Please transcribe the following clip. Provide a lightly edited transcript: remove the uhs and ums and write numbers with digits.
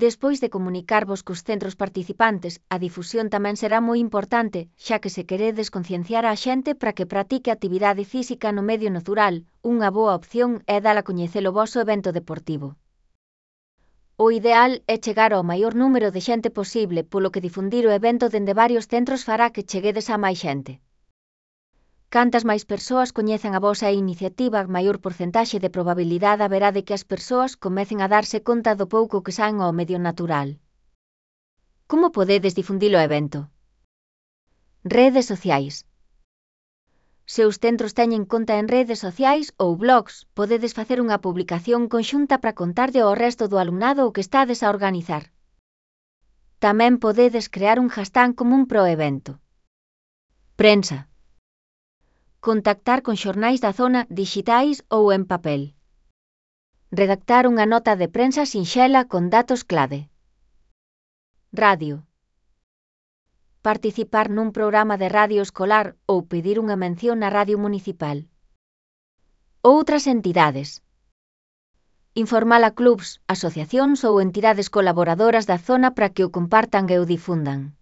Despois de comunicarvos cos centros participantes, a difusión tamén será moi importante, xa que se queredes concienciar á xente para que pratique actividade física no medio natural, unha boa opción é dar a coñecer o voso evento deportivo. O ideal é chegar ao maior número de xente posible, polo que difundir o evento dende varios centros fará que cheguedes a máis xente. Cantas máis persoas coñezan a vosa iniciativa, maior porcentaxe de probabilidade haberá de que as persoas comecen a darse conta do pouco que saen ao medio natural. Como podedes difundir o evento? Redes sociais. Se os centros teñen conta en redes sociais ou blogs, podedes facer unha publicación conxunta para contarlle ao resto do alumnado o que estades a organizar. Tamén podedes crear un hashtag común pro evento. Prensa. Contactar con xornais da zona dixitais ou en papel. Redactar unha nota de prensa sinxela con datos clave. Radio. Participar nun programa de radio escolar ou pedir unha mención na radio municipal. Outras entidades. Informar a clubs, asociacións ou entidades colaboradoras da zona para que o compartan e o difundan.